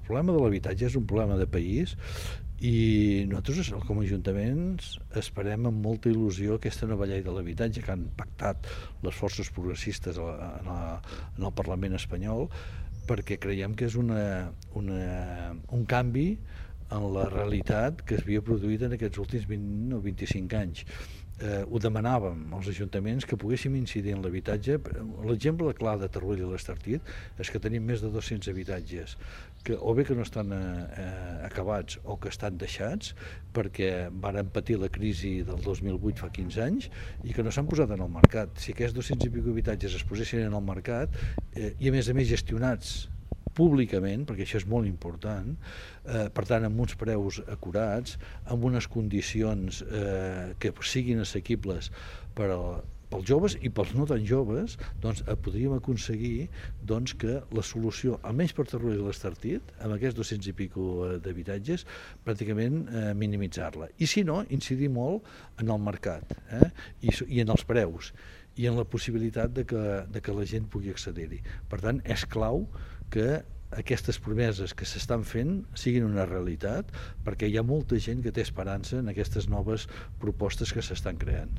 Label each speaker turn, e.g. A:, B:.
A: problema de l'habitatge és un problema de país i nosaltres com a ajuntaments esperem amb molta il·lusió aquesta nova llei de l'habitatge que han pactat les forces progressistes en el Parlament espanyol, perquè creiem que és un canvi en la realitat que s'havia produït en aquests últims 20 o 25 anys. Ho demanàvem als ajuntaments que poguéssim incidir en l'habitatge. L'exemple clar de Torroella i l'Estartit és que tenim més de 200 habitatges que o bé que no estan acabats o que estan deixats perquè varen patir la crisi del 2008 fa 15 anys i que no s'han posat en el mercat. Si aquests 200 i escaig habitatges es posessin en el mercat i a més gestionats públicament, perquè això és molt important, per tant amb uns preus acurats, amb unes condicions que siguin assequibles pels joves i pels no tan joves, doncs podríem aconseguir que la solució, almenys per Torroella i l'Estartit, amb aquests 200 i escaig d'habitatges, pràcticament minimitzar-la. I si no, incidir molt en el mercat i en els preus i en la possibilitat de que la gent pugui accedir-hi. Per tant, és clau que aquestes promeses que s'estan fent siguin una realitat, perquè hi ha molta gent que té esperança en aquestes noves propostes que s'estan creant.